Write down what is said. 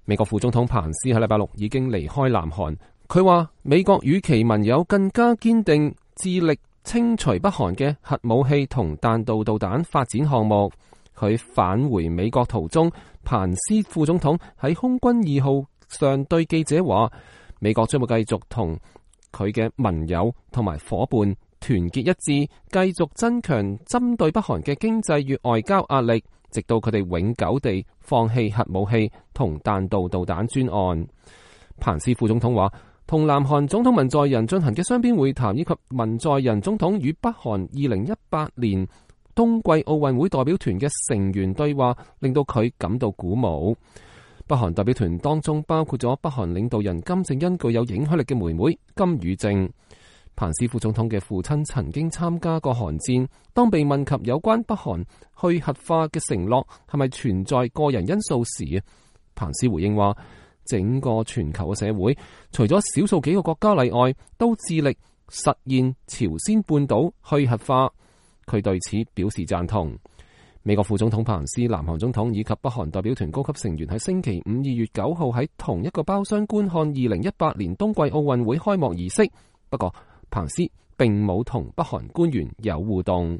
美國副總統彭斯喺禮拜六已經離開南韓，佢話美國與其盟友更加堅定致力清除北韓嘅核武器同彈道導彈發展項目。佢返回美國途中，彭斯副總統喺空軍2號上對記者話，美國將會繼續同佢嘅盟友同埋夥伴團結一致，繼續增強針對北韓嘅經濟與外交壓力，直到佢哋永久地放棄核武器同彈道導彈專案。彭斯副總統話，同南韓總統文在寅進行嘅雙邊會談，以及文在寅總統與北韓2018年冬季奧運會代表團嘅成員對話，令到佢感到鼓舞。北韓代表團當中包括咗北韓領導人金正恩具有影響力嘅妹妹金與正。彭斯副總統嘅父親曾經參加過韓戰，當被問及有關北韓去核化嘅承諾係咪存在個人因素時，彭斯回應話，整個全球嘅社會除咗少數幾個國家例外，都致力實現朝鮮半島去核化。佢對此表示贊同。美國副總統彭斯、南韓總統以及北韓代表團高級成員喺星期5 2月9號喺同一個包廂觀看2018年冬季奧運會開幕儀式。不過彭斯並冇同北韓官員有互動。